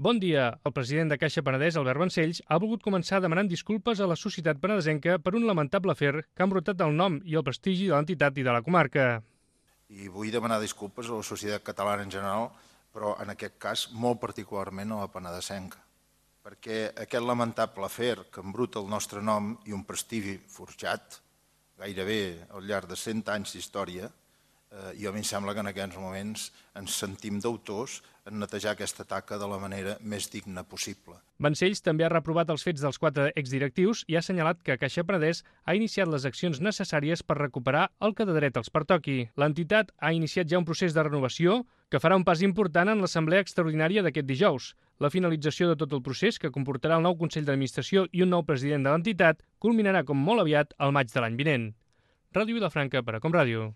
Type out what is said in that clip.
Bon dia. El president de Caixa Penedès, Albert Vancells, ha volgut començar demanant disculpes a la societat penedesenca per un lamentable afer que ha embrutat el nom i el prestigi de l'entitat i de la comarca. I vull demanar disculpes a la societat catalana en general, però en aquest cas molt particularment a la penedesenca, perquè aquest lamentable afer que embruta el nostre nom i un prestigi forjat gairebé al llarg de 100 anys d'història, i a mi em sembla que en aquests moments ens sentim deutors en netejar aquesta taca de la manera més digna possible. Vancells també ha reprovat els fets dels 4 exdirectius i ha assenyalat que Caixa Penedès ha iniciat les accions necessàries per recuperar el que de dret els pertoqui. L'entitat ha iniciat ja un procés de renovació que farà un pas important en l'assemblea extraordinària d'aquest dijous. La finalització de tot el procés, que comportarà el nou Consell d'Administració i un nou president de l'entitat, culminarà com molt aviat al maig de l'any vinent. Ràdio Vilafranca per a Com Ràdio.